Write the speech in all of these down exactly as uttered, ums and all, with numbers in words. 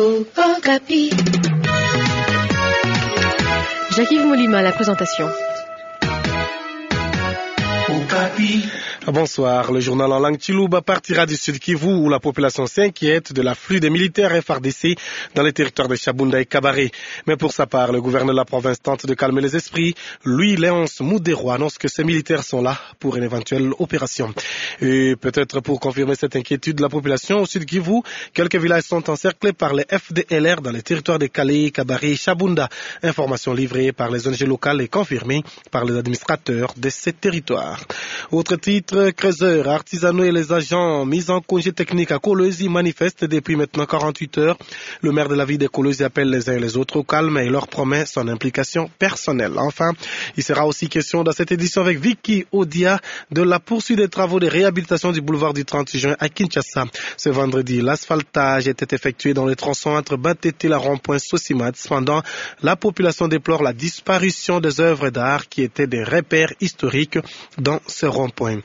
Okapi. Jacques-Yves Molima à la présentation. Bonsoir. Le journal en langue Chiluba partira du Sud Kivu où la population s'inquiète de l'afflux des militaires F R D C dans les territoires de Shabunda et Kabare. Mais pour sa part, le gouverneur de la province tente de calmer les esprits. Lui, Léonce Moudéroy, annonce que ces militaires sont là pour une éventuelle opération. Et peut-être pour confirmer cette inquiétude de la population au Sud Kivu, quelques villages sont encerclés par les F D L R dans les territoires de Calais, Kabare et Shabunda. Information livrée par les O N G locales et confirmée par les administrateurs de ces territoires. Autre titre, creuseurs, artisanaux et les agents mis en congé technique à Kolwezi manifestent depuis maintenant quarante-huit heures. Le maire de la ville de Kolwezi appelle les uns et les autres au calme et leur promet son implication personnelle. Enfin, il sera aussi question dans cette édition avec Vicky Odia de la poursuite des travaux de réhabilitation du boulevard du trente juin à Kinshasa. Ce vendredi, l'asphaltage était effectué dans les tronçons entre Batete et la rond-point Sosimat. Cependant, la population déplore la disparition des œuvres d'art qui étaient des repères historiques dans ce rond-point.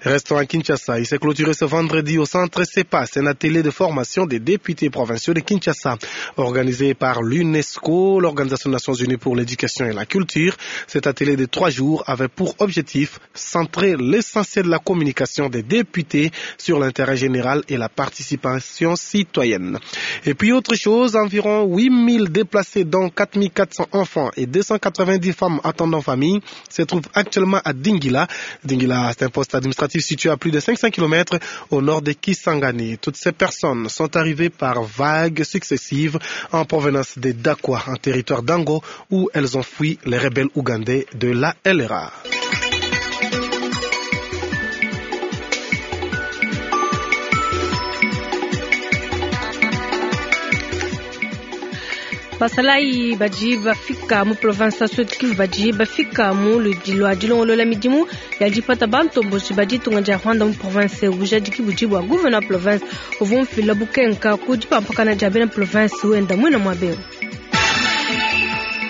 Restons à Kinshasa. Il s'est clôturé ce vendredi au centre CEPAS, un atelier de formation des députés provinciaux de Kinshasa, organisé par l'UNESCO, l'Organisation des Nations Unies pour l'éducation et la culture. Cet atelier de trois jours avait pour objectif centrer l'essentiel de la communication des députés sur l'intérêt général et la participation citoyenne. Et puis autre chose, environ huit mille déplacés, dont quatre mille quatre cents enfants et deux cent quatre-vingt-dix femmes attendant famille, se trouvent actuellement à Dingila. Dingila, c'est un poste administratif situé à plus de cinq cents kilomètres au nord de Kisangani. Toutes ces personnes sont arrivées par vagues successives en provenance de Dakwa, en territoire d'Ango, où elles ont fui les rebelles ougandais de la L R A. Basalayi badi bafika mu province ya Sud Kivu badi bafika mu ludi dilongolola midimu ya dipata bantomboji badi tunga dia Rwanda mu province bujadiki budi bua gouverneur province uvua mfila bukenka ku dipampakana dia bena province wenda mwina mwa beo.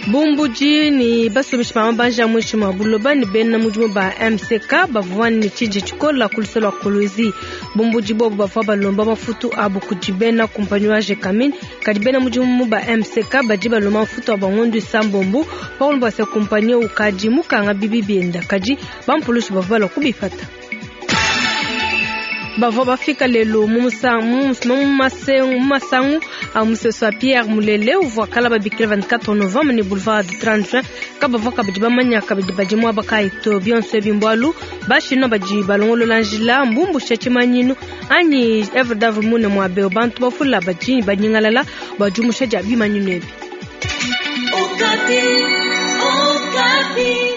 Bumbuji ni basomishi ba mabanja mwishi mwa buloba ni bena mudimu ba M C K bavua ni tshiji tshikola ku luselo lwa Kolwezi. Bumbuji bobu bavua balomba mafutu abu kudi bena kumpanyi wa Gécamines, kadi bena mudimu ba M C K badi balomba mafutu abu ngondu isambombo, paulu basa kumpanyi ukadi mukanga bibi bienda, kadi bampulushi bavua balua kubipata. Bavua bafika lelo mu musa-, mu mus-, mu mase-, mu masangu a museso wa Pierre Mulele uvua kala babikila vingt-quatre novembre ni boulevard du trente juin kabavua kabidi bamanya kabidi badi muaba kayi to bionso ebi mbualu bashino badi balongolola njila mbumbusha tshimanyinu anyi œuvre d'art mune mua beo bantu bafula badi banyingalala bajumusha dia bimanyinu ebi. Okapi, Okapi.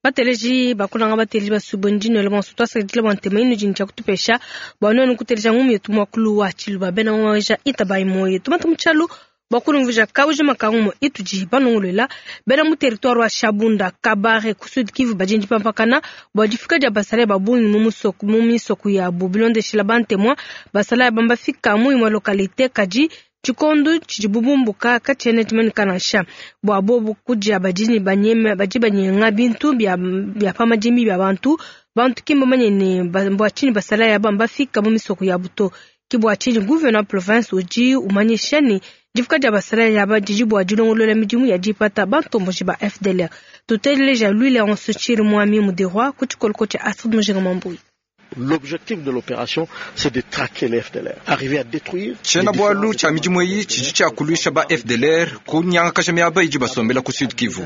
Bateleji bakulanga bateleji basubundi no le bonso twasa dile bwa ntema inu jini tshia kutupesha bwa nonu kuteleja ngumu yetu mwakulu wa tshiluba bena mwaja itabai moyo tumata mutshalu bakulumvuja kauja makangumo ituji banongolela bena mu territoire wa Shabunda Kabare ku Sud Kivu bajindi pampakana bwa difika dia basala babungi mu musoko mu misoko ya bo bilondeshila bantemwa basala bamba fika mu imwe localité kadi tshikondo tshidi bubumbuka katshiena tshimanikana nansha bua bobu kudia badini banyeme badi banyenga bintu bia, bia pa madimi bia bantu bantu ki mbamanye ne ba-, bua tshinyi basala ya bamba fika mu misoko ya buto ki bua tshinyi gouverneur province udi umanyisha ne difuka dia basala ya ba didi bua dilongolola midimu ya dipata bantomboji ba F D L R. Tuteleja lui Léonce Chirimwami Muderwa ku tshikoloko tshia Astrid Mujinga Mambui. L'objectif de l'opération, c'est de traquer les F D L R, arriver à détruire Tshena les bwalu différents tshia midimu eyi tshidi tshia kuluisha ba F D L R ku nyangakasha miaba idi basombela ku Sud Kivu.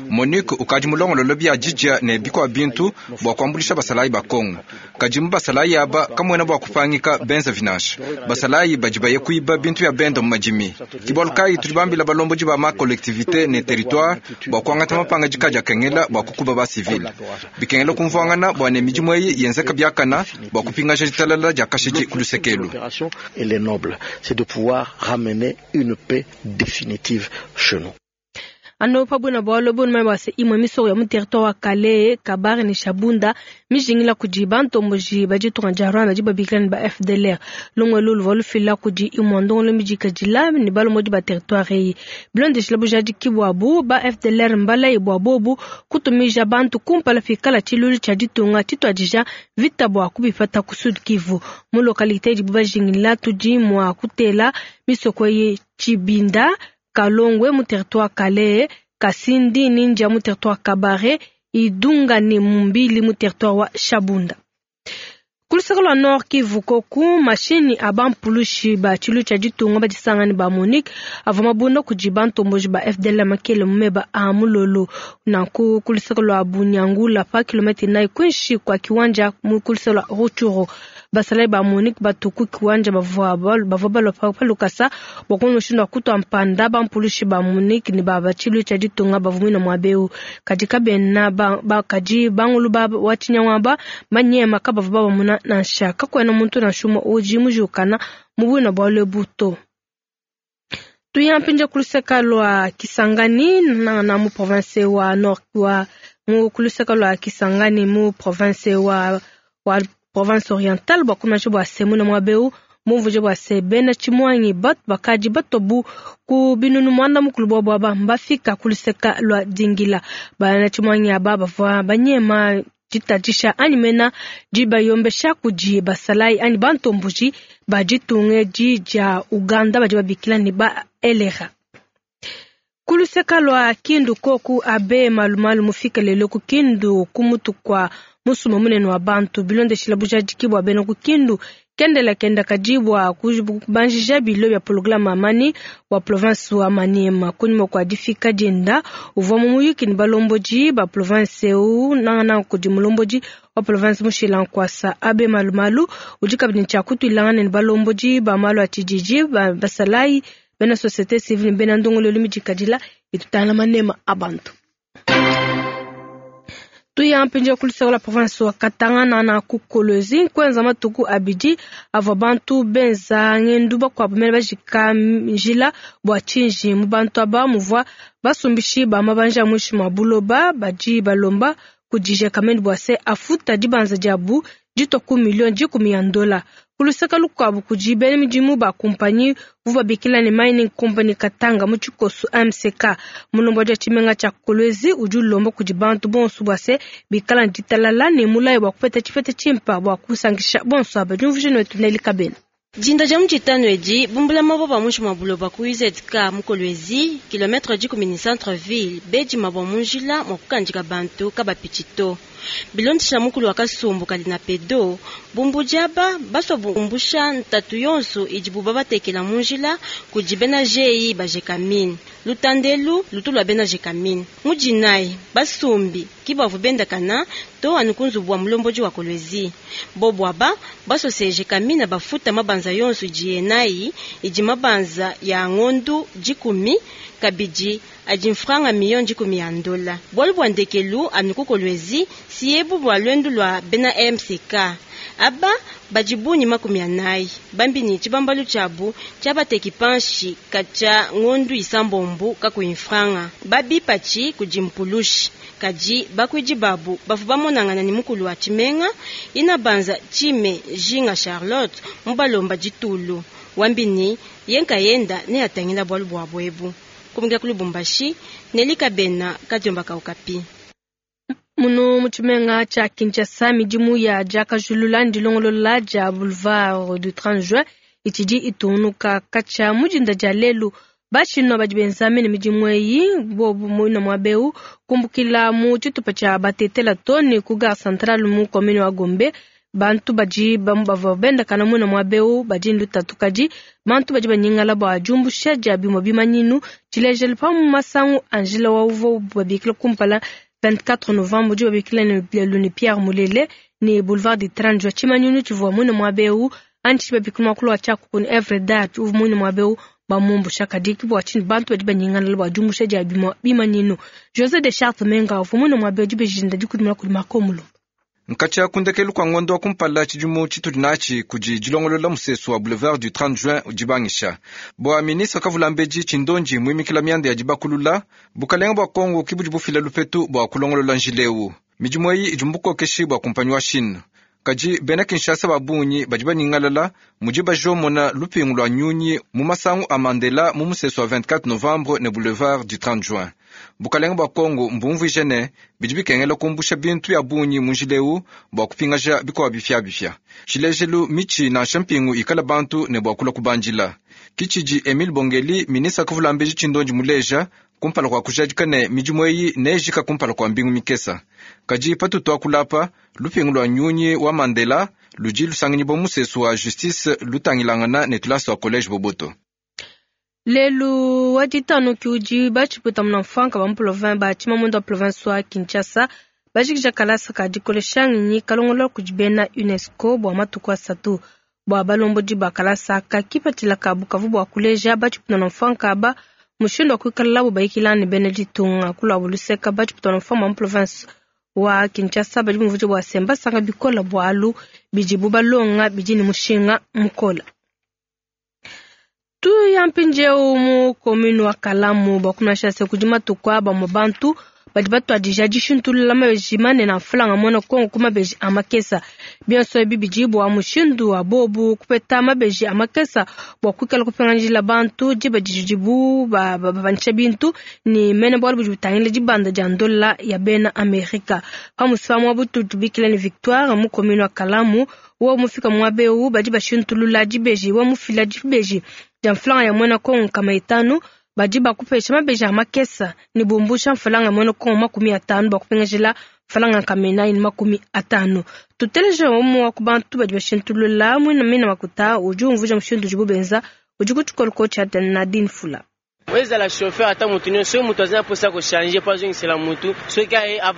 Monique ukadi mulongololo bia didia ne bikwa bintu bua kuambulisha basalayi ba Kongo. Kadi mu basalayi aba kamwena bua kupangika benza vinasha. Basalayi badi baye kuiba bintu ya benda mu madimi. Kibwalu kayi tudi bambila balombodi ba ma collectivité ne territoire bua kuangata mapanga dika dia kengela bua kukuba ba civil. Bikengela kumvuangana bua ne midimu eyi yenzeka biakana bua kupingaja ditalala dia kashidi ku lusekelu. L'opération, elle est noble, c'est de pouvoir ramener une paix définitive chez nous. Ano pabuna bwalo bunu mai bwase imwe misoko ya mu territoire wa Kalehe, Kabare ne Shabunda mijingila kudi bantomboji bajitunga dia Rwanda dibabikila ne ba F D L R. Longwe lulu valufila kudi imwe ndongolo mijika jila ne balomodi ba territoire eyi. Bilondeshila bujadi kibwabu ba F D L R mbala ibwa bobu kutumija bantu kumpala fikala tshilulu tshia ditunga tshituadija vita bwa kubipata ku Sud Kivu. Mu localité dibu bajingila tudi mwa kutela misoko ye Tshibinda, Kalongwe mu territoire Kalehe, Kasindi Ninja mu territoire Kabare, Idunga ne Mumbili mu territoire wa Shabunda. Kulusaka lwa Nord Kivu koku mashini abampulushi ba tshilu tshia ditunga badisangani ba Monique avua mabunda kudi bantomboji ba F D L makele mumeba a mulolo nanku kulusaka lwa Bunyangula pa kilomita inayi kwinshi kwa kiwanja mu kulusaka lwa Rutshuru. Basalai ba Monique batuku kiwanja bavua bavua balwa pa lukasa bua kumushindu wa kutwa mpanda bampulushi ba Monique ne ba tshilu tshia ditunga bavua muina muabeu kadi kabena ba, ba kadi bangulu ba wa tshinyangwaba manyema kabavua babamuna nansha kakwena muntu nansha umue udi mujukana mu bwina bwa lwebuto. Tuyampinja kuluseka lwa Kisangani na, na mu province wa Nord wa mu kuluseka lwa Kisangani mu province wa wa province orientale bwa kumaje bwa semu na mwabeu mumvuje bwa sebena chimwangi bat bakaji batobu ku binunu mwanda mukulu bwa bwa mbafika kuluseka lwa Dingila bana chimwangi aba bavwa banyema jitatisha anyi mena jibayombesha kuji basalai anyi bantombuji bajitunge ji ja Uganda baji babikila ni ba elera. Kuluseka lwa Kindu koku abe malumalu mufika lelo ku Kindu kumutu kwa musuma munene wa bantu bilondeshila bujadiki bwa bena ku Kindu kendela kenda kajibwa kubanjija bilo bya programme amani wa province wa Maniema kunyuma kwa difika jenda uvwa mu muyuki ni balomboji ba province u nangana kudi mulomboji wa province mushila nkwasa abe malumalu udi kabidi tshia kutuilangana ni balomboji ba malu a tshijiji ba basalai bena société civile bena ndongolelo midikadila itutana manema abantu. Tuyampinja kulusaka la province wa Katanga na ku Kolwezi kwenza matuku abidi avua bantu benza ngendu bakuabu mene bajika njila bua tshinji mu bantu aba muvua basumbishi ba mabanja mwishi mwa buloba badi balomba kudija kameni bua se afuta dibanza diabu ditwa ku milioni dikumi ya ndola. Kulusaka lukuabu kudi bena midimu ba kumpanyi bubabikila ne mining company Katanga mu tshikosu M C K mulombo dia tshimenga tshia Kolwezi udi ulomba kudi bantu bonso bua se bikala ditalala ne mulayi bua kupeta tshipeta tshimpa bua kusangisha bonso aba diumvuje netu Neli Kabena. Dinda dia mutshitanu edi bumbula mabua muinshi mua buloba ku U Z K mu Kolwezi kilometre dikumi ne centre ville bedi mabua mu njila mua kukandika bantu kabapitshito. Bilondesha mukulu wa kasumbu kali na pedo bumbu diaba baswa bumbusha ntatu yonso idi buba batekela mu njila kudi bena G I ba Gécamines lutandelu lutu lwa bena Gécamines mudinai basumbi kibavu bendakana to anu kunzubu wa mulomboji wa Kolwezi bobwaba basose Gécamines bafuta mabanza yonso idi yenayi idi mabanza ya ngondu dikumi kabidi adi mfranga milioni dikumi ya ndola bwalu bwa ndekelu anu ku Kolwezi siebu bwa lwendu lwa bena M C K aba bajibunyi makumi anayi bambini tshibambalu tshiabu tshiabateki panshi katshia ngondu isambombu kakuyi mfranga babipatshi kudi mpulushi kadi bakuidi babu bavu bamonangana ni mukulu wa tshimenga ina banza tshime Jinga Charlotte mubalomba ditulu wambini yenka yenda ne atangila bwalu bwa bwebu kumika ku Lubumbashi Nelika Bena Kadiomba Kaukapi. Muno mutshimenga tshia Kinshasa midimu ya diakajulula ndilongolola dia boulevard du trente juin itshidi itunuka katshia mudinda dia lelu bashino badi benza mene midimu eyi bobu muina muabeu kumbukila mu tshitupa tshia batetela toni ku gare centrale mu commune wa Gombe. Bantu badi bavua bendakana muina muabeu badi lutatu kadi bantu badi banyingala bua diumbusha dia bimue bimanyinu tshilejelu pa mu masangu Angela wa uvua babikila kumpala vingt-quatre novembre udi babikila ne luni Pierre Mulele ne boulevard du trente juin tshimanyinu tshivua muina muabeu anyi babikila muakulu wa tshiakuku ne Evre Dat uvua muina muabeu bamumbusha kadi bua tshinyi bantu badi banyingala bua diumbusha dia bimue bimanyinu. José de Chartres Menga uvua muina muabeu dibejinda dikudimuna kudi Marco Mulumba. Nkatshia kundekelu kwa ngondo wa kumpala tshidimu tshitudi natshi kudi dilongolola musesu wa boulevard du trente juin udibangisha. Bua ministre Kavulambedi Tshindonji muimikila mianda ya dibakulula, bukalenga bua Kongo kibudi bufila lupetu bua kulongolola njileu. Midimu eyi idi mubukokeshi bua kumpanyi wa Chine. Kadi bena Kinshasa ba bungi badi baningalala mudi bajomona lupingu lua nyunyi mu masangu a Mandela mu musesu wa vingt-quatre novembre ne boulevard du trente juin. Bukalenga bua Kongo mbumvuije ne bidi bikengela kumbusha bintu ya bungi mu njileu bua kupingaja bikowa bipyabipya. Tshilejelu mitshi nansha mpingu ikala bantu ne bua kula kubandila. Kitshidi Emile Bongeli ministre Kavulambedi Tshindonji muleja kumpala kwa kujadika ne midimu eyi nejika kumpala kwa mbingu mikesa. Kadi patutu akulapa lupingu lua nyunyi wa Mandela ludi lusanganyibwa musesu wa justice lutangilangana ne tulasa wa college Boboto. Lelu wa ditanu kiudi batshiputa muna mfanka ba mu province ba tshimamundo wa province wa Kinshasa bajikija kalasa ka dikolesha nginyi kalongolola kudi bena UNESCO bua matuku asatu bua balombodi ba kalasa ka kipatshila kabu kavu bua kuleja batshiputa muna mfanka aba mushindu wa kuikala labo bayikila ne bena ditunga kulwa buluseka batshiputa muna mfanka ba mu province wa Kinshasa badi bumvuija bua semba sanga bikola bwalu bidibu balonga bidi ne mushinga mukola. Tu ya mpindieu mu commune wa Kalamu bakunasha se kudi matuku aba mu bantu badi batuadija dishintulula mabeji manene a mfulanga muena Kongo ku mabeji a makesa. Bionso ebi bidi bua mushindu wa bobu kupeta mabeji a makesa bua kuikala kupinganjila bantu diba didibu babanisha bintu ni mene bualu budi butangila dibanda dia ndola ya bena Amerika. Pamusi pa butu tubikila ni Victoire mu commune wa Kalamu wa mufika mwabeu badi bashintulula dibeji wa mufila dibeji dia mfulanga ya muena Kongo kama itanu badi bakupesha mabeji a makesa ni bumbusha mfulanga muena Kongo makumi atanu bakupengejela mfulanga kamena ini makumi atanu. Tuteleje omu wa kubantu badi bashintulula mwina mina makuta udi umvuja mushindu udibu benza udi ku tshikoloko tshia Nadine Fula.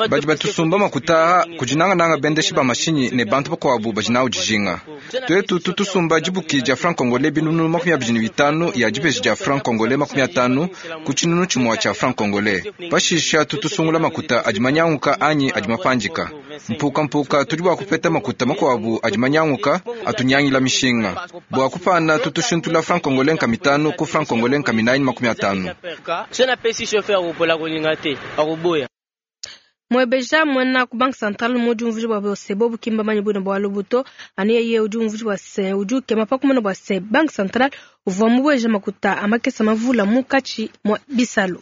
Badi batusumba makuta kudinangananga bendeshi ba mashinyi ne bantu bakuabu badi nawu dijinga. Twetu tutusumba dibuki dia franc congolais binunu makumi abidi ne bitanu ya dibeji dia franc congolais makumi atanu ku tshinunu tshimue tshia franc congolais. Pashisha tutusungula makuta adi manyanguka anyi adi mapandika. Mpuka mpuka tudi bua kupeta makuta makuabu adi manyanguka atunyangila mishinga. Bua kupana tutushintula franc congolais nka mitanu ku franc congolais nka minayi makumi atanu. Mwebeja mwana ku Banque Centrale mudi umvuji bwa bose bobu kimba manyi buna bwa lubuto ani yeye udi umvuji bwa se udi ukema pa kumona bwa se Banque Centrale uvua mubweja makuta amakesa mavula mukachi mwa bisalo.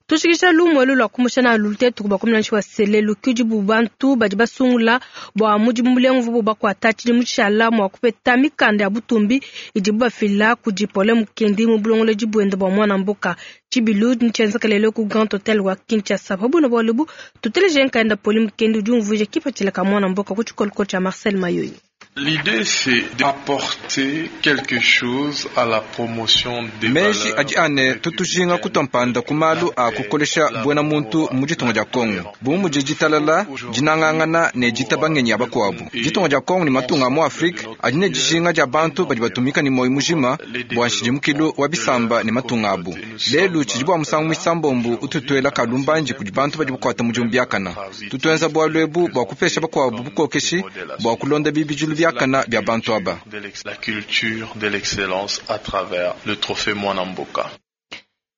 Tushikisha lumu elu lwa kumusha na lutetu kuba kumina nshi wa selelu kudi bubantu badi basungula bua mudimu mulengu vubu bakwata tshidi mutshala mwa kupeta mikanda ya butumbi idibu bafila kudi Pole Mukendi mu bulongolodi buende bua mwana mboka. Tshibilu ntshienzeka lelo ku Grand Hotel wa Kinshasa. Pabuna bua lubu tuteleje nkaenda Pole Mukendi udi umvuija kipatshila ka mwana mboka ku tshikoloko tshia Marcel Mayoyi. L'idée, c'est d'apporter quelque chose à la promotion des Meji adi ane tutujinga kutompanda kumalu a kukolesha buena muntu mu ditunga dia Kongo. Bu mudi ditalala dinangangana ne ditabangenya bakuabu. Ditunga dia Kongo ni matunga mu Afrika adi ne dijinga dia bantu badi batumika ni moyo mujima bua nshidimukilu wa bisamba ne matunga abu. Lelu tshidi bua musangu misambombu ututuela kalumbanji kudi bantu badi bakuata mudimu biakana. Tutuenza bualu ebu bua kupesha bakuabu bukokeshi bua kulonda bibidilu biakana bya bantu aba. La culture de l'excellence à travers le trophée Mwana Mboka.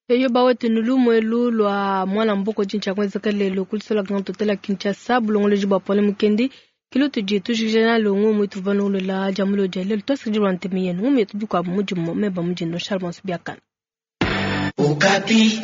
Eyo bawetu nulumu elu lwa Mwana Mboka tshintsha kwenzeka lelo kulisola Grand Hotel ya Kinshasa bulongoloji bwa Pole Mukendi kilutu jitu jijana longo mwitu vanulola jamulo jalelo twasirijilwa ntemi yenu mumietu bikwabu mudimu meba mujino Charles Biakana. Okapi.